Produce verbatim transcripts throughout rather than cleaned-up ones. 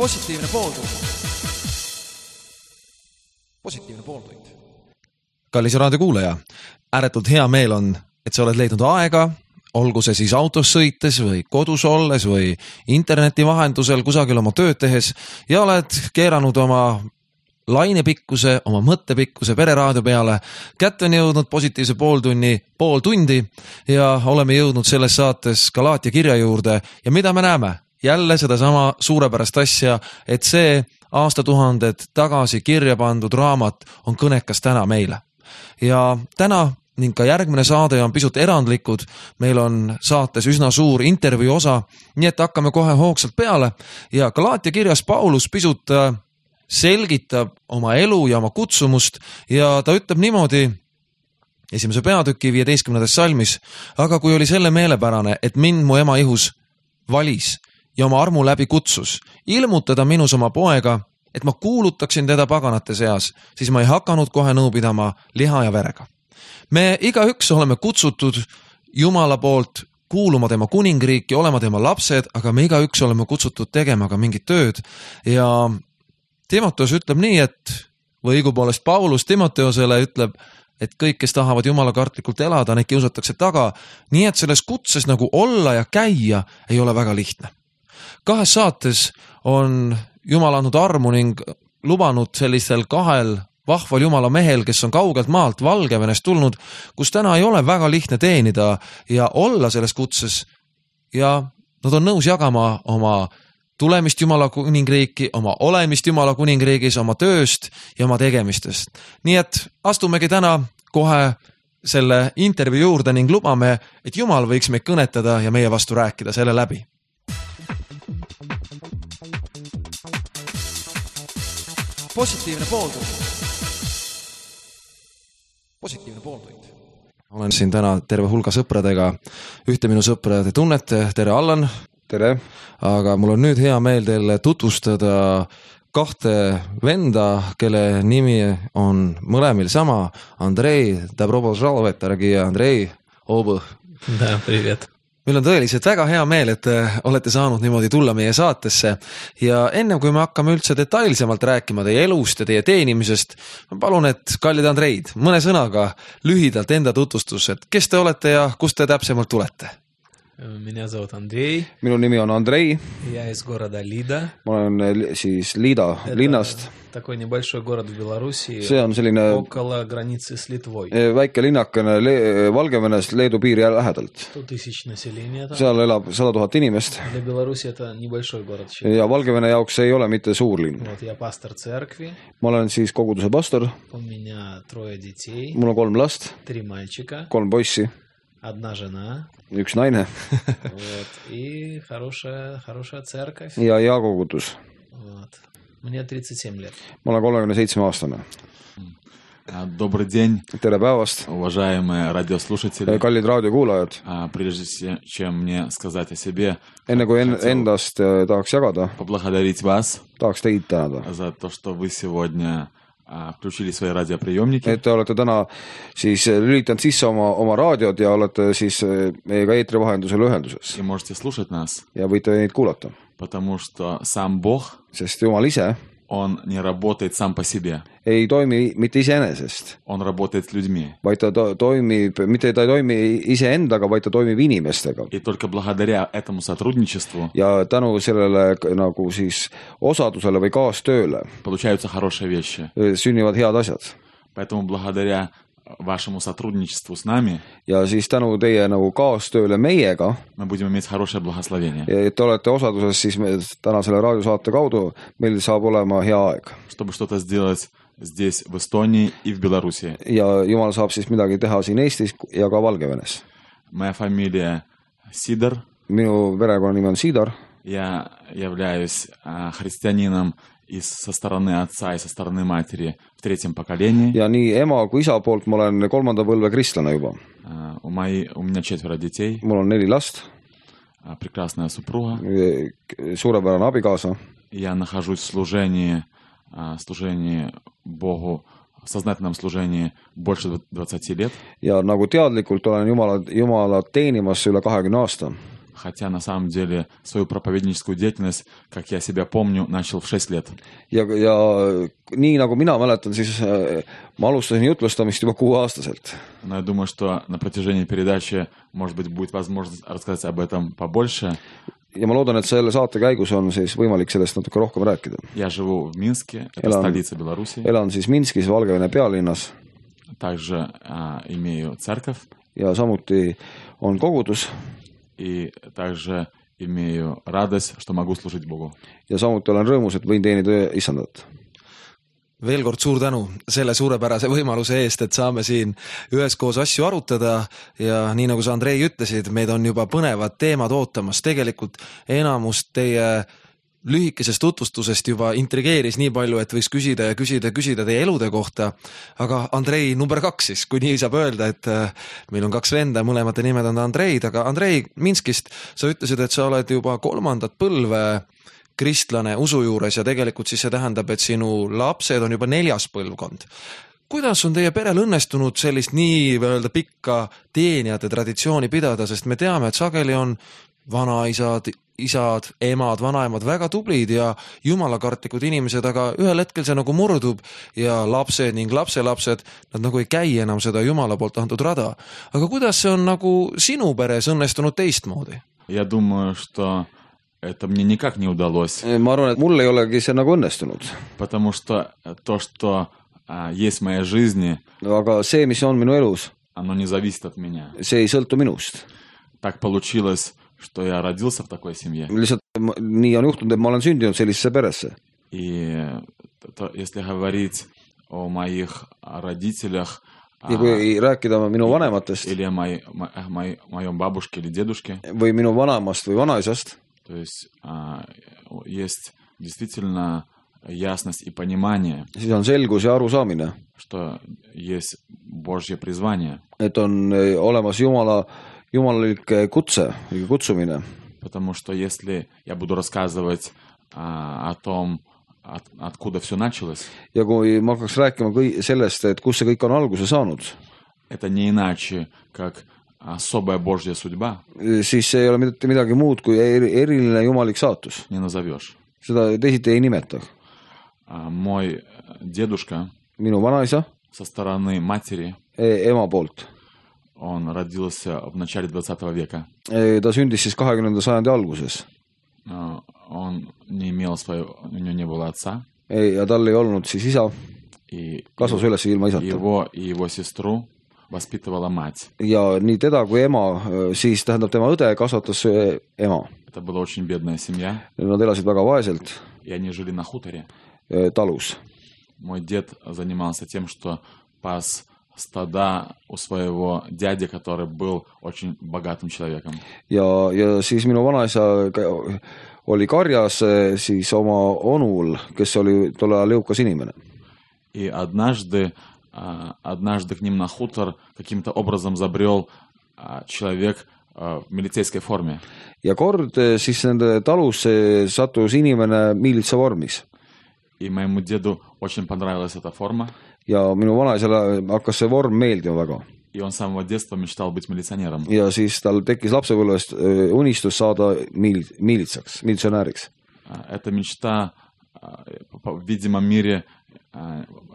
Positiivne pooltund. Positiivne pooltund. Kallis raadiokuulaja, ääretult hea meel on, et sa oled leidnud aega, olgu see siis autos sõites või kodus olles või interneti vahendusel kusagil oma tööd tehes ja oled keeranud oma lainepikkuse, oma mõttepikkuse pereraadio peale. Kätte on jõudnud positiivse pooltunni pool tundi ja oleme jõudnud selles saates Galaatia kirja juurde ja mida me näeme? Jälle seda sama suurepärast asja, et see aastatuhanded tagasi kirja pandud raamat on kõnekas täna meile. Ja täna ning ka järgmine saade on pisut erandlikud. Meil on saates üsna suur intervjuu osa, nii et hakkame kohe hoogsalt peale ja Galaatia kirjas Paulus pisut selgitab oma elu ja oma kutsumust ja ta ütleb niimoodi esimese peatüki viieteistkümnendas salmis, aga kui oli selle meelepärane, et mind mu ema ihus valis ja oma armu läbi kutsus, ilmutada minus oma poega, et ma kuulutaksin teda paganate seas, siis ma ei hakanud kohe nõu pidama liha ja verega. Me igaüks oleme kutsutud Jumala poolt kuuluma tema kuningriiki, olema tema lapsed, aga me igaüks oleme kutsutud tegema ka mingit tööd ja Timoteos ütleb nii, et või õigupoolest Paulus Timoteosele ütleb, et kõik, kes tahavad Jumala kartlikult elada, neid kiusatakse taga, nii et selles kutses nagu olla ja käia ei ole väga lihtne. Kahes saates on Jumal andnud armu ning lubanud sellistel kahel vahval Jumala mehel, kes on kaugelt maalt Valgevenest tulnud, kus täna ei ole väga lihtne teenida ja olla selles kutses ja nad on nõus jagama oma tulemist Jumala kuningriiki, oma olemist Jumala kuningriigis, oma tööst ja oma tegemistest. Nii et astumegi täna kohe selle intervjuu juurde ning lubame, et Jumal võiks meid kõnetada ja meie vastu rääkida selle läbi. Positiivne pooltund. Positiivne pooltund. Olen siin täna terve hulga sõpradega. Ühte minu sõpra te tunnete. Tere, Allan. Tere. Aga mul on nüüd hea meel teile tutvustada kahte venda, kelle nimi on mõlemil sama. Andrei, добро пожаловать, дорогие Andrei, oba. Da, привет. Meil on tõeliselt väga hea meel, et olete saanud niimoodi tulla meie saatesse ja ennem kui me hakkame üldse detailsemalt rääkima teie elust ja teie teenimisest, ma palun, et kallid Andreid, mõne sõnaga lühidalt enda tutvustus, et kes te olete ja kust te täpsemalt tulete? Меня зовут Андрей. Minu nimi on Andrei. Я из города Лида. Ma olen siis Liida linnast. Такой небольшой город в Беларуси. See on selline около границы с Литвой. Väike linnakene Le- Valgevenest Leedu piiri lähedalt. сто тысяч населения там. Seal elab sada tuhat inimest. Для Беларуси это небольшой город. Ja Valgevene jaoks ei ole mitte suur linn. Вот я пастор церкви. Ma olen siis koguduse pastor. У меня трое детей. Mul on kolm last, Три мальчика. kolm poissi, Одна жена. üks naine Вот. И хорошая, хорошая церковь. ja hea kogudus. Вот. Мне тридцать семь лет. Ma olen kolmekümne seitsme aastane. Добрый день, Tere päevast, уважаемые радиослушатели. kallid raadiokuulajad. Прежде чем мне сказать о себе, Enne kui en- endast tahaks jagada, поблагодарить вас tahaks teid tänada. за то, что вы сегодня включили свои радиоприемники. Et te olete täna siis lülitanud sisse oma, oma raadiod ja olete siis meiega eetri vahendusel ühenduses. И можете слушать нас, Ja võite neid kuulata. потому что сам Бог, Sest Jumal ise Он не работает сам по себе. ei toimi mitte iseenesest, Он работает с людьми. vaid ta to- toimib, mitte ta ei toimi iseendaga, vaid ta toimib inimestega. И только благодаря этому сотрудничеству Ja tänu sellele nagu siis osadusele või kaastööle получаются хорошие вещи. sünnivad head asjad. Поэтому благодаря вашему сотрудничеству с нами Ja siis tänu teie nagu kaastööle meiega, мы будем иметь хорошее благословение. et te olete osaduses siis me, täna selle raadiosaate kaudu, meil saab olema hea aeg. Чтобы что-то сделать здесь, в Эстонии и в Беларуси. Ja Jumal saab siis midagi teha siin Eestis ja ka Valgevenes. Моя фамилия Сидор. Minu perekonnanimi on Siidar. Я являюсь а, христианином и со стороны отца, и со стороны матери в третьем поколении. Ja nii ema kui isa poolt ma olen kolmanda põlve kristlane juba. А, у, мои, у меня четверо детей. Mul on neli last. А, прекрасная супруга. Suurepärane abikaasa. Я нахожусь в служении, а, служении Богу, в сознательном служении больше двадцати лет. Ja nagu teadlikult olen Jumala, Jumala teenimas üle kahekümne aasta. Хотя на самом деле свою проповедническую деятельность, как я себя помню, начал в шесть лет. ja, ja nii nagu mina mäletan, siis ma alustasin jutlustamist juba kuueaastaselt. Но я думаю, что на протяжении передачи, может быть, будет возможность рассказать об этом побольше. Ja ma loodan, et selle saate käigus on siis võimalik sellest natuke rohkem rääkida. Я живу в Минске, это Elan- столица Беларуси. Elan siis Minskis, Valgevene pealinnas Также а, имею церковь ja samuti on kogudus и также имею радость, что могу служить Богу. ja samuti olen rõõmus, et võin teenida issandat. veel kord suur tänu selle suurepärase võimaluse eest, et saame siin üheskoos asju arutada ja nii nagu sa, Andrei, ütlesid, meid on juba põnevad teemad ootamas. Tegelikult enamus teie lühikesest tutvustusest juba intrigeeris nii palju, et võiks küsida ja küsida ja küsida teie elude kohta. Aga Andrei number kaks siis, kui nii saab öelda, et meil on kaks venda, mõlemate nimed on Andreid, aga Andrei Minskist, sa ütlesid, et sa oled juba kolmandat põlve kristlane usu juures ja tegelikult siis see tähendab, et sinu lapsed on juba neljas põlvkond. Kuidas on teie perel õnnestunud sellist nii öelda pikka teenijate traditsiooni pidada, sest me teame, et sageli on vanaisad, isad, emad, vanaemad väga tublid ja jumalakartlikud inimesed, aga ühel hetkel see nagu murdub ja lapsed ning lapselapsed, nad nagu ei käi enam seda jumala poolt antud rada. Aga kuidas see on nagu sinu peres õnnestunud teistmoodi? Я думаю, что это мне никак не удалось. Ma arvan, et mul ei olegi see nagu õnnestunud. Потому что то, что а, есть в моей жизни, aga see, mis on minu elus, оно не зависит от меня. see ei sõltu minust. Так получилось, что я родился в такой семье. Lihtsalt nii on juhtunud, et ma olen sündinud sellisesse peresse. И то, если говорить о моих родителях, Ja kui rääkida minu vanematest или о моей, моей, моем бабушке или дедушке, või minu vanemast või vanaisast, то есть а, есть действительно ясность и понимание, siis on selgus ja arusaamine, что есть Божье призвание. et on olemas Jumala, jumalalik kutse, kutsumine. Потому что если я буду рассказывать а, о том, от, откуда все началось, ja kui ma hakkaks rääkima kõi, sellest, et kus see kõik on alguse saanud, это не иначе, как особая Божья судьба, siis see ei ole mitte midagi muud kui eriline jumalik saatus. не назовешь. Seda teisiti ei nimeta. А, мой дедушка Minu vanaisa со стороны матери, ema poolt. он родился в начале двадцатого века. Ta sündis siis kahekümnenda sajandi alguses. Он не имел своего, у него не было отца. Ja tal ei olnud siis isa, И kasvas üles ilma isata. его и его сестру воспитывала мать. Ja nii teda kui ema, siis tähendab tema õde kasvatas ema. Это была очень бедная семья. Nad elasid väga vaeselt И они жили на хуторе. talus. Мой дед занимался тем, что пас стада у своего дяди, который был очень богатым человеком. Ja, ja siis minu vanaisa oli karjas siis oma onul, kes oli tolle ajal jõukas inimene. И однажды, однажды к ним на хутор каким-то образом забрел человек в милицейской форме. Ja kord siis nende talusse sattus inimene miilitsa vormis. И моему деду очень понравилась эта форма. Ja minu vanaisale hakkas see vorm meeldima väga. И он с самого детства мечтал быть милиционером. Ja siis tal tekkis lapsepõlvest unistus saada miil, miilitsaks, militsionääriks. Эта мечта в видимом мире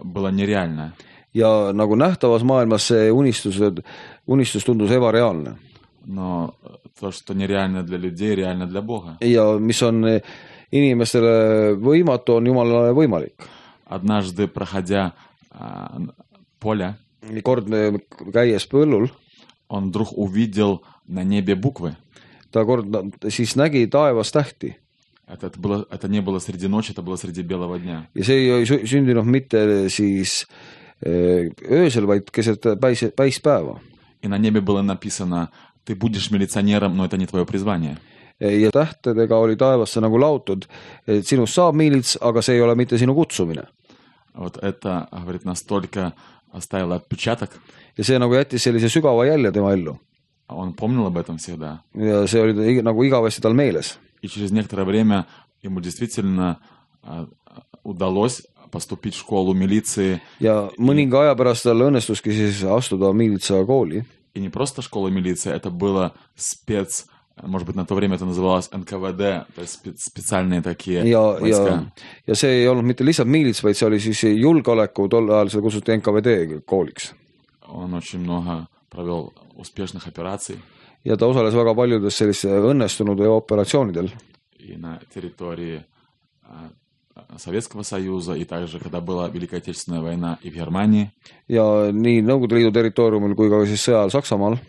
была нереальна. Ja nagu nähtavas maailmas see unistus, unistus tundus ebareaalne. Но то, что нереально для людей, реально для Бога. Ja mis on inimestele võimatu, on Jumalale võimalik. Однажды, проходя а, поле, kord käies põllul, он вдруг увидел на небе буквы. ta kord siis nägi taevas tähti. Это, это, было, это не было среди ночи, это было среди белого дня. Ja see ei sündinud mitte siis öösel, vaid keset päis, päispäeva. И на небе было написано: ты будешь милиционером, но это не твое призвание. Ja tähtedega oli taevasse nagu lautud, et sinust saab miilits, aga see ei ole mitte sinu kutsumine. Вот это, говорит, настолько оставило отпечаток. Ja see nagu jättis sellise sügava jälje tema ellu. Он помнил об этом всегда. Ja see oli nagu igavesti tal meeles. И через некоторое время ему действительно удалось поступить в школу милиции. Ja mõninga aja pärast tal õnnestuski siis astuda miilitsa kooli. И не просто школа милиции, это было спец может быть, на то время это называлось эн ка вэ дэ, то есть спе- специальные такие ja, войска. ja, ja see ei olnud mitte lihtsalt miilits, vaid see oli siis julgeoleku, tol ajal seda kutsuti эн ка вэ дэ kooliks. Он очень много провел успешных операций Ja ta osales väga paljudes selliste õnnestunud operatsioonidel. и на территории а, Советского Союза, и также, когда была Великая Отечественная война и в Германии. Ja nii Nõukogude Liidu territooriumil kui ka siis sõjal Saksamaal.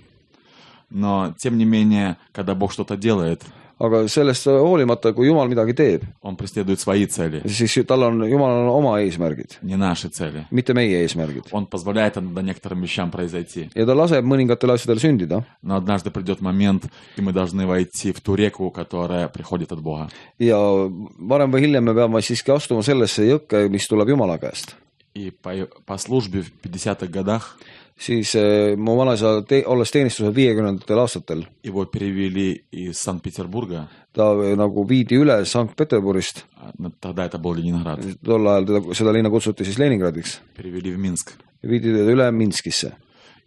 Но, тем не менее, когда Бог что-то делает, Aga sellest hoolimata, kui Jumal midagi teeb, Он преследует свои цели, siis tal on, Jumalal on oma eesmärgid, не наши цели. mitte meie eesmärgid. Он позволяет иногда некоторым вещам произойти. Ja ta laseb mõningatel asjadel sündida. Но однажды придет момент, и мы должны войти в ту реку, которая приходит от Бога. Ja varem või hiljem me peame siiski astuma sellesse jõkke, mis tuleb Jumala käest. И по, по службе в пятидесятых годах Siis eh, mu vanaisa, te, olles teenistusel viiekümnendatel aastatel, его перевели из Санкт-Петербурга, ta eh, nagu viidi üle Sankt-Peterburist. а, ну, тогда это был Ленинград, Tol ajal teda, seda linna kutsuti siis Leningradiks. перевели в Минск. Viidi teda üle Minskisse.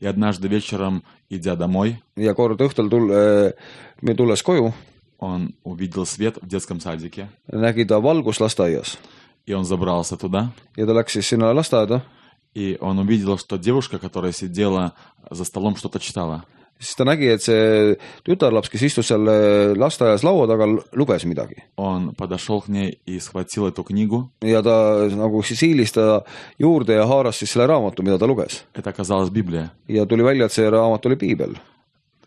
И однажды вечером, идя домой, Ja kord õhtul tull, me tulles koju, он увидел свет в детском садике, nägi ta valgust lasteaias. и он забрался туда, Ja ta läks siis sinna lasteaeda. и он увидел, что девушка, которая сидела за столом, что-то читала. Siis ta nägi, et see tütarlaps, kes istus seal lasteaias laua taga, luges midagi. Он подошел к ней и схватил эту книгу. Ja ta nagu siis hiilis ta juurde ja haaras siis selle raamatu, mida ta luges. Это оказалась Библия. Ja tuli välja, et see raamat oli piibel.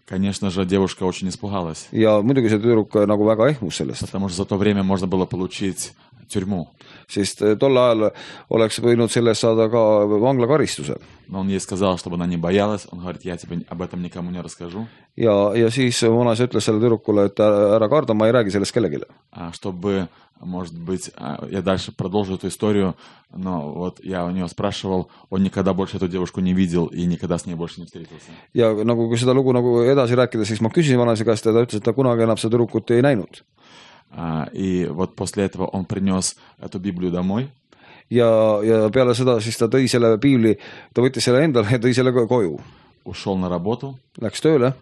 Конечно же, девушка очень испугалась, Ja muidugi see tüdruk nagu väga ehmus sellest. потому что за то время можно было получить тюрьму. Sest tol ajal oleks võinud sellest saada ka vanglakaristuse. Но он ей сказал, чтобы она не боялась. Он говорит, я тебе об этом никому не расскажу. Ja, ja siis vanaisa ütles selle tüdrukule, et ära karda, ma ei räägi sellest kellelegi. А чтобы, может быть, я дальше продолжу эту историю, но вот я у него спрашивал, он никогда больше эту девушку не видел и никогда с ней больше не встретился. Ja nagu kui seda lugu nagu edasi rääkida, siis ma küsisin vanaisa käest ja ta ütles, et ta kunagi enam seda tüdrukut ei näinud. И вот после этого он принес эту Библию домой. Ja, ja peale seda siis ta tõi selle piibli, ta võttis selle endale ja tõi selle koju. Ушел на работу. Läks tööle.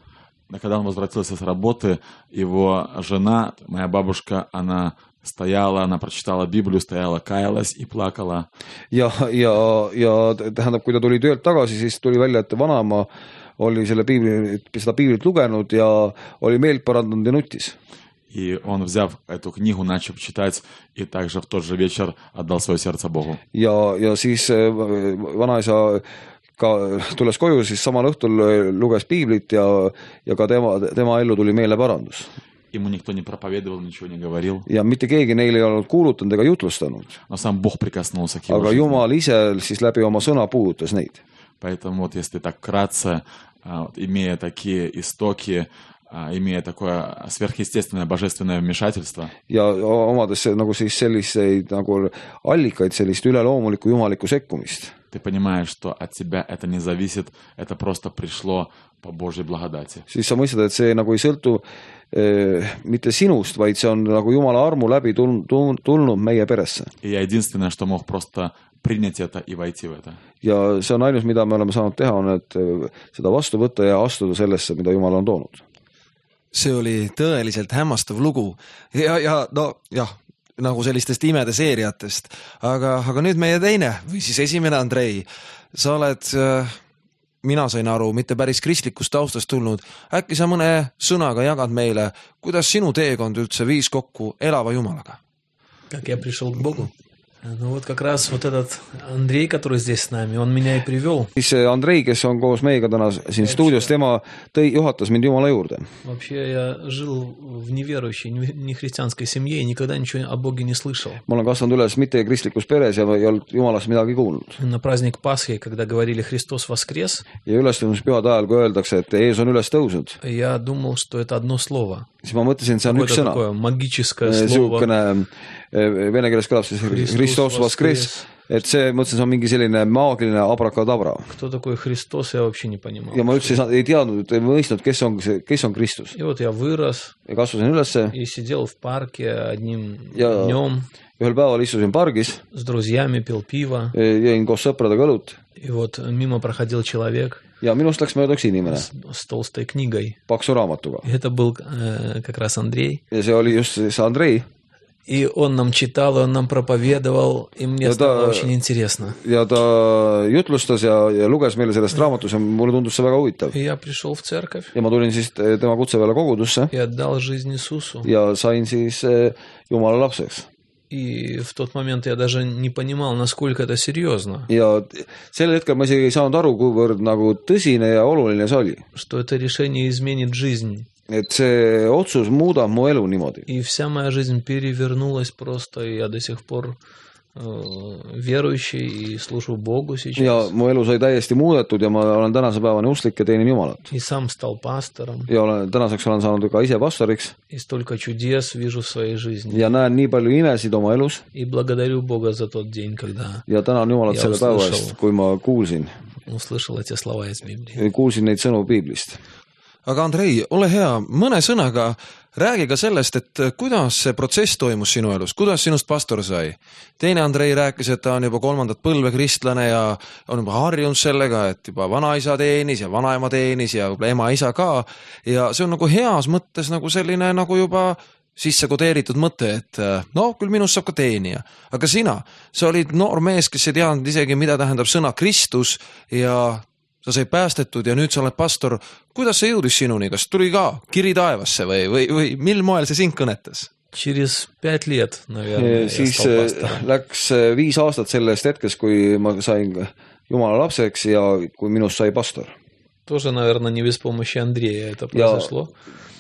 А когда он возвратился с работы, его жена, моя бабушка, она стояла, она прочитала Библию, стояла, каялась и плакала. Ja, ja, ja tähendab, kui ta tuli töölt tagasi, siis tuli välja, et vanaema oli selle piibli, seda piiblit lugenud ja oli meelt parandanud ja nutis. И он, взяв эту книгу, начал читать, и также в тот же вечер отдал свое сердце Богу. Ja, ja siis vanaisa ka tulles koju, siis samal õhtul luges piiblit ja, ja ka tema, tema ellu tuli meeleparandus. Ему никто не проповедовал, ничего не говорил. Ja mitte keegi neile ei olnud kuulutanud ega jutlustanud. Но сам Бог прикоснулся к его Aga жизни. Jumal ise siis läbi oma sõna puudutas neid. Поэтому вот если так вкратце, вот, имея такие истоки, имея такое сверхъестественное божественное вмешательство, Ja omades nagu siis selliseid nagu allikaid, sellist üleloomulikku jumalikku sekkumist. ты понимаешь, что от тебя это не зависит, это просто пришло по Божьей благодати. Siis sa mõistad, et see nagu ei sõltu eh, mitte sinust, vaid see on nagu Jumala armu läbi tulnud, tulnud meie peresse. И я единственное, что мог просто принять это и войти в это. Ja see on ainus, mida me oleme saanud teha, on, et seda vastu võtta ja astuda sellesse, mida Jumal on toonud. See oli tõeliselt hämmastav lugu ja, ja no jah, nagu sellistest imede seeriatest, aga, aga nüüd meie teine või siis esimene Andrei, sa oled, mina sain aru, mitte päris kristlikust taustast tulnud, äkki sa mõne sõnaga jagad meile, kuidas sinu teekond üldse viis kokku elava Jumalaga? Как я пришел к Богу? Ну вот как раз вот этот Андрей, который здесь с нами, он меня и привел. Siis Andrei, kes on koos meiega täna siin stuudios, tema tõi, juhatas mind Jumala juurde. Вообще я жил в неверующей, нехристианской семье и никогда ничего о Боге не слышал. Ma olen kasvanud üles mitte kristlikus peres ja ei olnud Jumalast midagi kuulnud. На праздник Пасхи, когда говорили «Христос воскрес», Ja ülestõusmispühade ajal, kui öeldakse, et Jeesus on üles tõusnud, я думал, что это одно слово. siis ma mõtlesin, et see on üks Какое-то sõna. такое магическое слово. Siukene vene keeles kõlab siis Hristos Voskres, et see, mõtlesin, see on mingi selline maagiline abrakadabra. Кто такой Христос, я вообще не понимал. Ja ma üldse ei, saanud, ei teadnud, ei mõistnud, kes on, kes on Kristus. И вот я вырос Ja kasvasin ülesse и сидел в парке одним ja днем ühel päeval istusin pargis, с друзьями, пил пиво. jõin koos sõpradega õlut И вот мимо проходил человек, ja minust läks mööda üks inimene с, с толстой книгой. paksu raamatuga. И это был э, как раз Андрей. Ja see oli just see Andrei. И он нам читал, и он нам проповедовал, и мне Ja стало ta- очень интересно. Ja ta jutlustas ja, ja luges meile sellest raamatus ja mulle tundus see väga huvitav. И я пришел в церковь Ja ma tulin siis tema kutse peale kogudusse и отдал жизнь Иисусу. ja sain siis eh, Jumala lapseks. И в тот момент я даже не понимал, насколько это серьезно, Ja sel hetkel ma isegi ei saanud aru, kuivõrd nagu tõsine ja oluline see oli. что это решение изменит жизнь. Et see otsus muudab mu elu niimoodi. И вся моя жизнь перевернулась просто, и я до сих пор э, верующий и служу Богу Ja сейчас. mu elu sai täiesti muudetud ja ma olen tänase päevani usklik ja teenin Jumalat. И сам стал пастором, Ja olen, tänaseks olen saanud ka ise pastoriks и столько чудес вижу в своей жизни. ja näen nii palju imesid oma elus И благодарю Бога за тот день, когда ja tänan Jumalat Ja selle päeva uslyšel. eest, kui ma kuulsin, услышал эти слова из Библии. kuulsin neid sõnu piiblist. aga Andrei, ole hea, mõne sõnaga räägi ka sellest, et kuidas see protsess toimus sinu elus, kuidas sinust pastor sai. Teine Andrei rääkis, et ta on juba kolmandat põlve kristlane ja on juba harjunud sellega, et juba vanaisa teenis ja vanaema teenis ja võib-olla ema-isa ka. Ja see on nagu heas mõttes nagu selline nagu juba sisse kodeeritud mõte, et no küll minust saab ka teenija. Aga sina, sa olid noor mees, kes ei teadnud isegi, mida tähendab sõna Kristus ja sa sai päästetud ja nüüd sa oled pastor. Kuidas see jõudis sinuni? Kas tuli ka kiri taevasse või, või, või mil moel see sind kõnetas? Через пять лет, наверное, я Siis стал eh, пастором. läks eh, viis aastat sellest hetkest, kui ma sain Jumala lapseks ja kui minust sai pastor. Тоже, наверное, не без помощи Андрея это Ja произошло.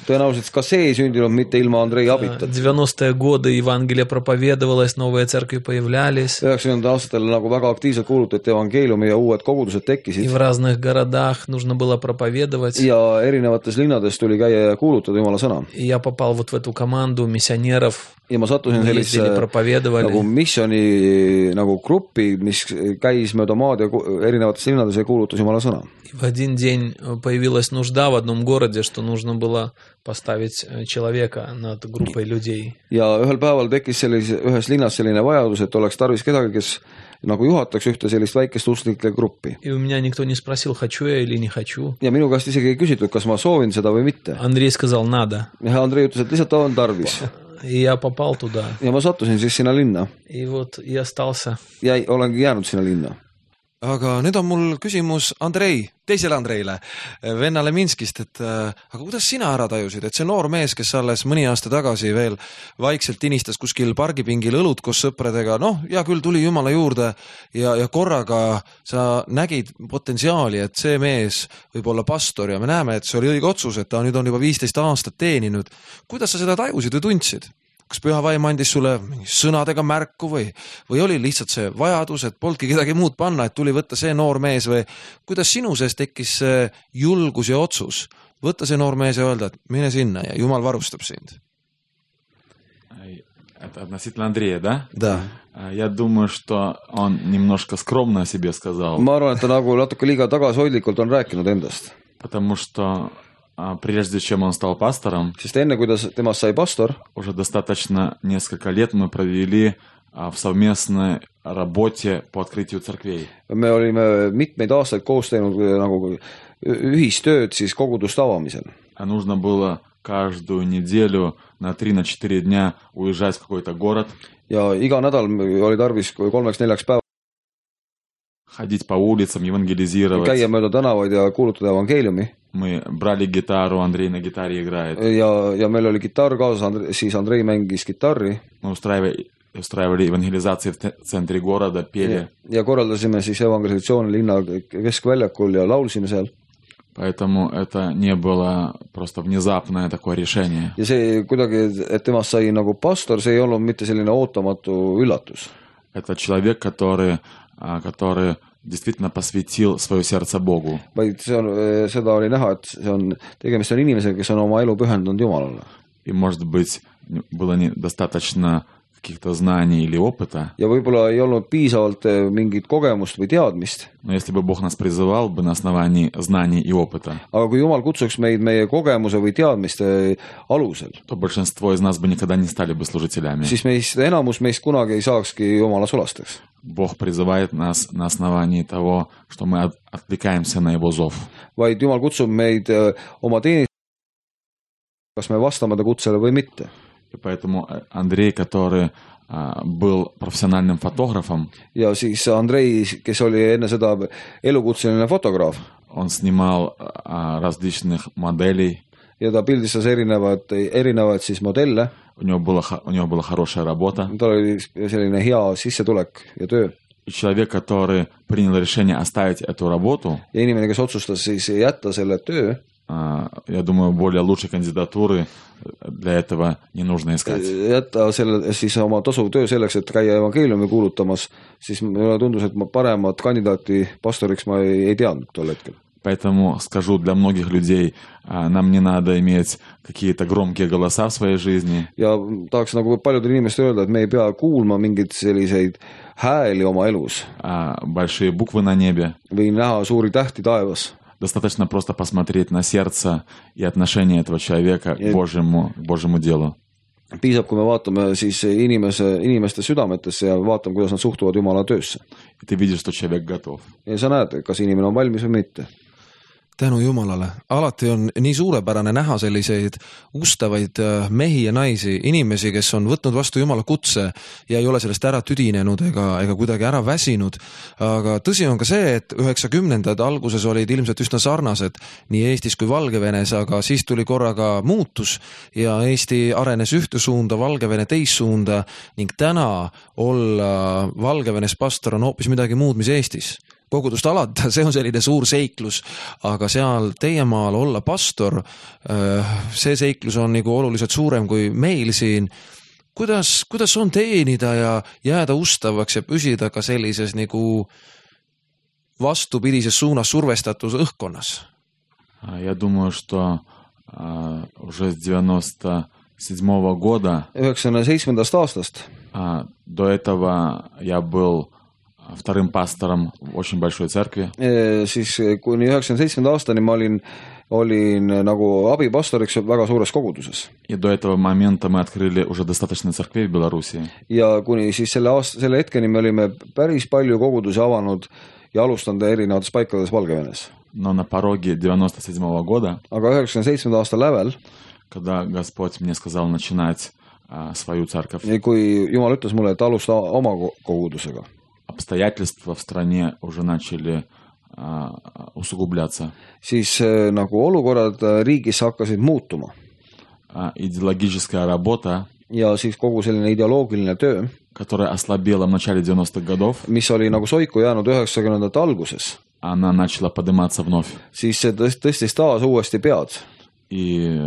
tõenäoliselt ka see ei sündinud mitte ilma Andrei abita. девяностые годы Евангелие проповедовалось, новые церкви появлялись, üheksakümnendatel aastatel nagu väga aktiivselt kuulutati evangeeliumi ja uued kogudused и tekkisid в разных городах нужно было проповедовать. ja erinevates linnades tuli käia ja kuulutada Jumala sõna. И я попал вот в эту команду миссионеров, Ja ma sattusin мы sellise ездили, проповедовали. nagu missiooni nagu gruppi, mis käis mööda maad ja ku- erinevates linnades ja kuulutas Jumala sõna. И в один день появилась нужда в одном городе, что нужно было поставить человека над группой людей. Ja ühel päeval tekkis sellise, ühes linnas selline vajadus, et oleks tarvis kedagi, kes nagu juhataks ühte sellist väikest usklike gruppi. И у меня никто не спросил, хочу я или не хочу. Ja minu käest isegi ei küsitud, kas ma soovin seda või mitte. Андрей сказал, надо. Ja Andrei ütles, et lihtsalt on tarvis. И я попал туда. Ja ma sattusin siis sinna linna. И вот и остался. Ja olengi jäänud sinna linna. Aga nüüd on mul küsimus Andrei, teisele Andreile, vennale Minskist, et äh, aga kuidas sina ära tajusid, et see noor mees, kes alles mõni aasta tagasi veel vaikselt inistas kuskil pargipingil õlut koos sõpradega, noh, ja küll tuli Jumala juurde ja, ja korraga sa nägid potentsiaali, et see mees võib olla pastor ja me näeme, et see oli õige otsus, et ta nüüd on juba viisteist aastat teeninud. Kuidas sa seda tajusid või tundsid? Kas püha vaim andis sulle sõnadega märku või, või oli lihtsalt see vajadus, et polnudki kedagi muud panna, et tuli võtta see noor mees või kuidas sinu sees tekkis see julgus ja otsus võtta see noor mees ja öelda, et mine sinna ja Jumal varustab sind? Это относительно Андрея, да? Да. Я думаю, что он немножко скромно о себе сказал. Ma arvan, et ta nagu natuke liiga tagasihoidlikult on rääkinud endast. Потому что а, прежде чем он стал пастором, Sest enne, kui ta temast sai pastor, уже достаточно несколько лет мы провели а, в совместной работе по открытию церквей. me olime mitmeid aastaid koos teinud nagu ühistööd siis koguduste avamisel. А нужно было каждую неделю на три-четыре дня уезжать в какой-то город, Ja iga nädal oli tarvis kolmeks-neljaks päeva ходить по улицам, евангелизировать. käia mööda tänavaid ja kuulutada evangeeliumi. Мы брали гитару, Андрей на гитаре играет. Ja, ja meil oli kitarr kaasas, siis Andrei mängis kitarri. Мы устраивали, устраивали евангелизации в те- центре города, пели. Ja, ja korraldasime siis evangelisatsiooni linna keskväljakul ja laulsime seal. Поэтому это не было просто внезапное такое решение. Ja see kuidagi, et temast sai nagu pastor, see ei olnud mitte selline ootamatu üllatus. Это человек, который, а, который действительно посвятил свое сердце Богу. Vaid see on, seda oli näha, et see on, tegemist on inimesega, kes on oma elu pühendunud Jumalale. И, может быть, было недостаточно каких-то знаний или опыта. Ja võib-olla ei olnud piisavalt mingit kogemust või teadmist. Но если бы Бог нас призывал бы на основании знаний и опыта, Aga kui Jumal kutsuks meid meie kogemuse või teadmiste alusel, то большинство из нас бы никогда не стали бы служителями. siis meist, enamus meist kunagi ei saakski Jumala sulasteks. Бог призывает нас на основании того, что мы от- откликаемся на Его зов. Vaid Jumal kutsub meid eh, oma teenistusele, kas me vastame ta kutsele või mitte. И поэтому Андрей, который а, был профессиональным фотографом, Ja siis Andrei, kes oli enne seda elukutseline fotograaf, он снимал а, различных моделей, ja ta pildistas erinevad, erinevaid siis modelle, у него, было, хо- у него была хорошая работа. tal oli selline hea sissetulek ja töö. И человек, который принял решение оставить эту работу, Ja inimene, kes otsustas siis jätta selle töö, а, я думаю, более лучшей кандидатуры для этого не нужно искать. jätta selle siis oma tasuv töö selleks, et käia evangeeliumi kuulutamas, siis mulle tundus, et ma paremat kandidaati pastoriks ma ei, ei teadnud tol hetkel. Поэтому скажу, для многих людей а, нам не надо иметь какие-то громкие голоса в своей жизни. Ja tahaks nagu paljudele inimestele öelda, et me ei pea kuulma mingeid selliseid hääli oma elus а, большие буквы на небе. või näha suuri tähti taevas. Достаточно просто посмотреть на сердце и отношение этого человека к Божьему, к Божьему делу. Piisab, kui me vaatame siis inimese, inimeste südametesse ja vaatame, kuidas nad suhtuvad Jumala töösse. И ты видишь, что человек готов. Ja sa näed, kas inimene on valmis või mitte. tänu Jumalale, alati on nii suurepärane näha selliseid ustavaid mehi ja naisi, inimesi, kes on võtnud vastu Jumala kutse ja ei ole sellest ära tüdinenud ega, ega kuidagi ära väsinud. Aga tõsi on ka see, et üheksakümnendad alguses olid ilmselt üsna sarnased nii Eestis kui Valgevenes, aga siis tuli korraga muutus ja Eesti arenes ühte suunda, Valgevene teist suunda ning täna olla Valgevenes pastor on hoopis midagi muud, mis Eestis. Kogudust alata, see on selline suur seiklus, aga seal teie maal olla pastor, see seiklus on nagu oluliselt suurem kui meil siin. Kuidas, kuidas on teenida ja jääda ustavaks ja püsida ka sellises nagu vastupidises suunas survestatus õhkkonnas? Я думаю, что а, уже с девяносто седьмого года üheksakümne seitsmendast aastast а, до этого я был вторым пастором в очень большой церкви. e, siis kuni üheksakümne seitsmenda aastani ma olin, olin nagu abipastoriks väga suures koguduses. И до этого момента мы открыли уже достаточно церквей в Беларуси. Ja kuni siis selle, aasta, selle hetkeni me olime päris palju kogudusi avanud ja alustanud erinevates paikades Valgevenes. Но на пороге девяносто седьмого года, aga üheksakümne seitsmenda aasta lävel, когда Господь мне сказал начинать а, свою церковь, kui Jumal ütles mulle, et alusta oma kogudusega, обстоятельства в стране уже начали а, усугубляться. siis nagu olukorrad riigis hakkasid muutuma. А, идеологическая работа, ja siis kogu selline ideoloogiline töö, которая ослабела в начале девяностых годов, mis oli nagu soiku jäänud üheksakümnendate alguses, она начала подниматься вновь. siis see tõstis taas uuesti pead. И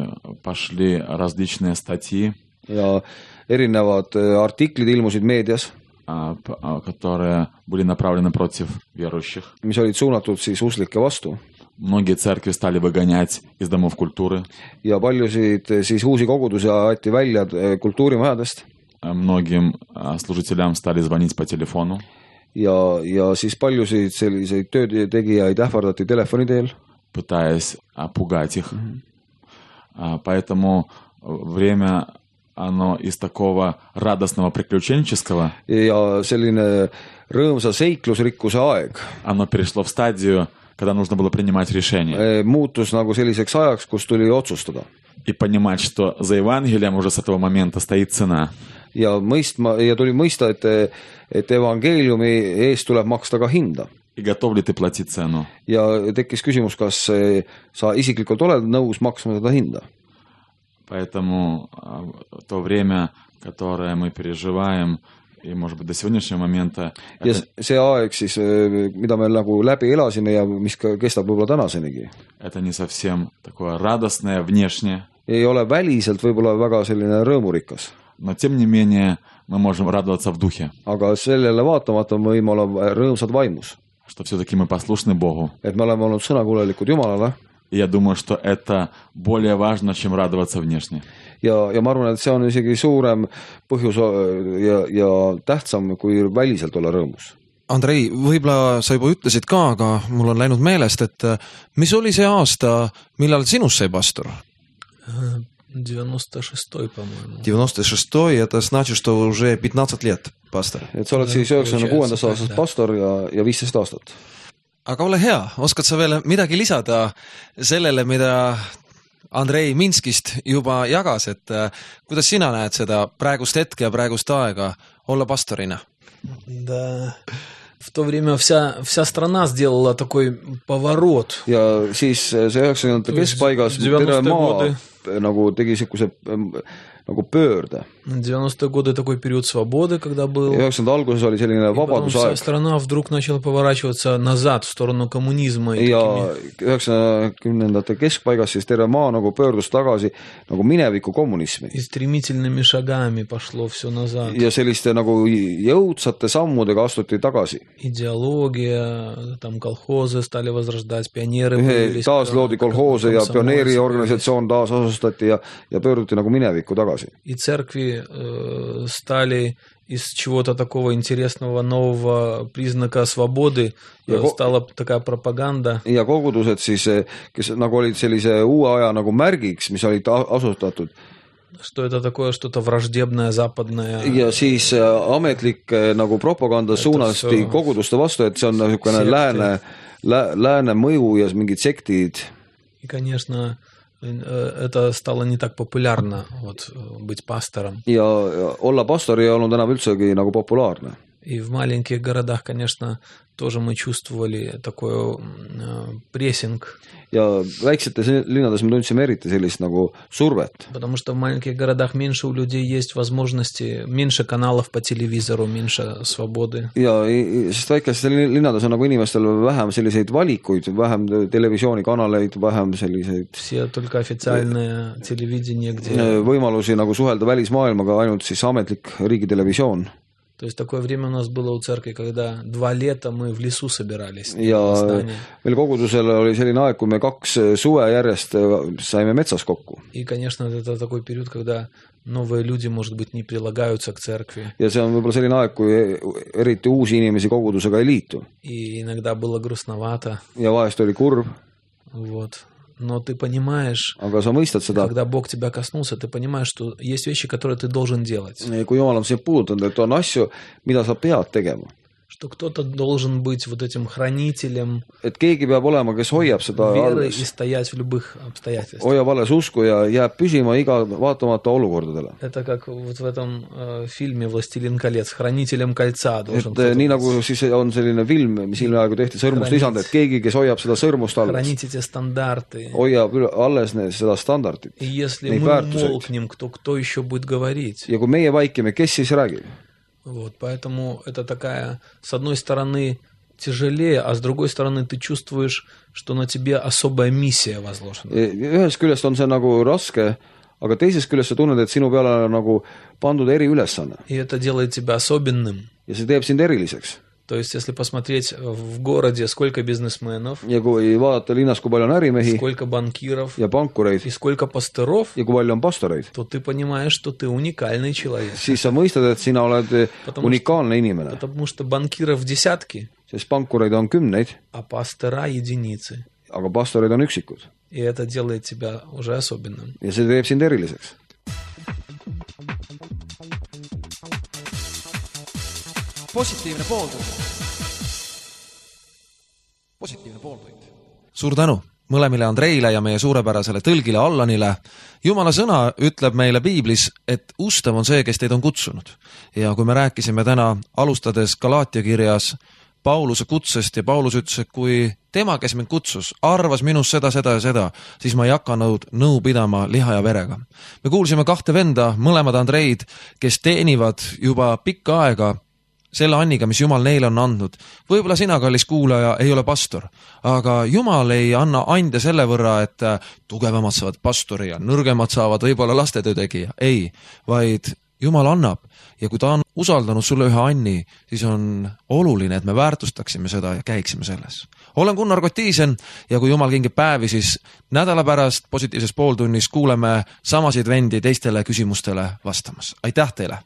пошли различные статьи, ja erinevad artiklid ilmusid meedias, а, п- а, которые были направлены против верующих. mis olid suunatud siis uslike vastu. Многие церкви стали выгонять из домов культуры. ja paljusid siis uusi kogudusi aeti välja kultuurimajadest. А Многим а, служителям стали звонить по телефону. ja, ja siis paljusid selliseid töötegijaid ähvardati telefoni teel, пытаясь а, пугать их. А, Поэтому время, оно из такого радостного приключенческого, ja selline rõõmsa seiklusrikkuse aeg оно перешло в стадию, когда нужно было принимать решение eh, muutus nagu selliseks ajaks, kus tuli otsustada и понимать, что за Евангелием уже с этого момента стоит цена. ja mõistma ja tuli mõista, et, et evangeeliumi eest tuleb maksta ka hinda. И готов ли ты платить цену? ja tekkis küsimus, kas eh, sa isiklikult oled nõus maksma seda hinda. Поэтому а, то время, которое мы переживаем, и, может быть, до сегодняшнего момента, ja это, see aeg siis, mida me nagu läbi elasime ja mis ka kestab võib-olla tänasenigi, это не совсем такое радостное внешне, ei ole väliselt võib-olla väga selline rõõmurikas, но тем не менее мы можем радоваться в духе, aga sellele vaatamata me võime olla rõõmsad vaimus, что все-таки мы послушны Богу. et me oleme olnud sõnakuulelikud Jumalale. И я думаю, что это более важно, чем радоваться внешне. ja, ja ma arvan, et see on isegi suurem põhjus ja, ja tähtsam, kui väliselt olla rõõmus. Andrei, võib-olla sa juba ütlesid ka, aga mul on läinud meelest, et mis oli see aasta, millal sinust sai pastor? девяносто шестой, по-моему. девяносто шестой, это значит, что уже пятнадцать лет pastor. Et sa oled siis üheksakümne kuuendast aastast pastor ja, ja viisteist aastat. Aga ole hea, oskad sa veel midagi lisada sellele, mida Andrei Minskist juba jagas, et kuidas sina näed seda praegust hetke ja praegust aega olla pastorina? Да, в то время вся, вся страна сделала такой поворот. Ja siis see üheksakümnendate keskpaigas terve maa nagu tegi siukuse nagu pöörde. девяностые годы такой период свободы, когда был. üheksakümnendate alguses oli selline vabadusaeg. Вся страна вдруг начала поворачиваться назад в сторону коммунизма. Ja üheksakümnendate keskpaigas siis terve maa nagu pöördus tagasi nagu mineviku kommunismi. И стремительными шагами пошло все назад. Ja selliste nagu jõudsate sammudega astuti tagasi. Идеология, там колхозы стали возрождать, пионеры появились. Taas loodi kolhoose ja pioneeriorganisatsioon taas asustati ja, ja pöörduti nagu minevikku tagasi. И церкви э, стали из чего-то такого интересного, нового признака свободы, ja стала такая пропаганда. Ja kogudused siis, kes nagu olid sellise uue aja nagu märgiks, mis olid asutatud. Что это такое, что-то враждебное, западное. Ja siis ametlik nagu propaganda suunasti koguduste vastu, et see on niisugune lääne, lääne mõju ja mingid sektid. И, конечно, это стало не так популярно вот, быть пастором. Ja olla pastor ei olnud enam üldsegi nagu populaarne. И в маленьких городах, конечно, тоже мы чувствовали такой прессинг. Ja väiksetes linnades me tundsime eriti sellist nagu survet. Потому что в маленьких городах меньше у людей есть возможности, меньше каналов по телевизору, меньше свободы. Ja sest väikestes linnades on nagu inimestel vähem selliseid valikuid, vähem televisioonikanaleid, vähem selliseid Все только официальное телевидение, где võimalusi nagu suhelda välismaailmaga, ainult siis ametlik riigitelevisioon. То есть такое время у нас было у церкви, когда два лета мы в лесу собирались. Ja meil kogudusel oli selline aeg, kui me kaks suve järjest saime metsas kokku. И, конечно, это такой период, когда новые люди, может быть, не прилагаются к церкви. Ja see on võib-olla selline aeg, kui eriti uusi inimesi kogudusega ei liitu. И иногда было грустновато. Ja vahest oli kurb. Вот. Но ты понимаешь, aga sa mõistad seda, когда Бог тебя коснулся, ты понимаешь, что есть вещи, которые ты должен делать. Kui Jumal on sind puudutanud, et on asju, mida sa pead tegema. Что кто-то должен быть вот этим хранителем et keegi peab olema, kes hoiab seda веры и стоять в любых обстоятельствах. Hoiab alles usku ja jääb püsima iga vaatamata olukordadele. Это как вот в этом äh, фильме «Властелин колец», хранителем кольца должен et nii nagu siis on selline film, mis ilmaaegu tehti sõrmust lisand, et keegi, kes hoiab seda sõrmust alles. Хранить эти стандарты. Hoiab alles seda standardit. И если мы умолкнем, кто, кто еще будет говорить? Ja kui meie vaikime, kes siis räägib? Вот, поэтому это такая, с одной стороны, тяжелее, а с другой стороны, ты чувствуешь, что на тебе особая миссия возложена. Ühest küljest on see nagu raske, aga teisest küljest sa tunned, et sinu peale on nagu pandud eriülesanne. И это делает тебя особенным. Ja see teeb sind eriliseks. То есть, если посмотреть в городе, сколько бизнесменов, ja kui vaadata linnas, kui palju on ärimehi, сколько банкиров, ja pankureid, и сколько пасторов, ja kui palju on pastoreid, то ты понимаешь, что ты уникальный человек. Siis sa mõistad, et sina oled потому unikaalne inimene. Потому что банкиров десятки, sest pankureid on kümneid, а пастора единицы. aga pastoreid on üksikud. И это делает тебя уже особенным. Ja see teeb sind eriliseks. Positiivne pooltund. Positiivne pooltund. Suur tänu mõlemile Andreile ja meie suurepärasele tõlgile Allanile. Jumala sõna ütleb meile Piiblis, et ustav on see, kes teid on kutsunud. Ja kui me rääkisime täna alustades Galaatia kirjas Pauluse kutsest ja Paulus ütles, et kui tema, kes mind kutsus, arvas minust seda, seda ja seda, siis ma ei hakanud nõu pidama liha ja verega. Me kuulsime kahte venda, mõlemad Andreid, kes teenivad juba pikka aega selle anniga, mis Jumal neile on andnud. Võib-olla sina, kallis kuulaja, ei ole pastor, aga Jumal ei anna ande selle võrra, et tugevamad saavad pastori ja nõrgemad saavad võib-olla lastetöö tegija. Ei, vaid Jumal annab ja kui ta usaldanud sulle ühe Anni, siis on oluline, et me väärtustaksime seda ja käiksime selles. Olen Gunnar Kotiisen ja kui jumal kingib päevi, siis nädala pärast positiivses pooltunnis kuuleme samasid vendi teistele küsimustele vastamas. Aitäh teile!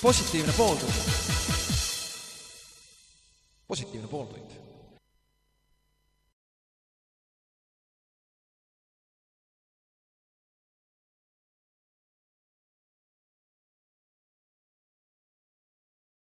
Positiivne pooltund. Positiivne pooltund.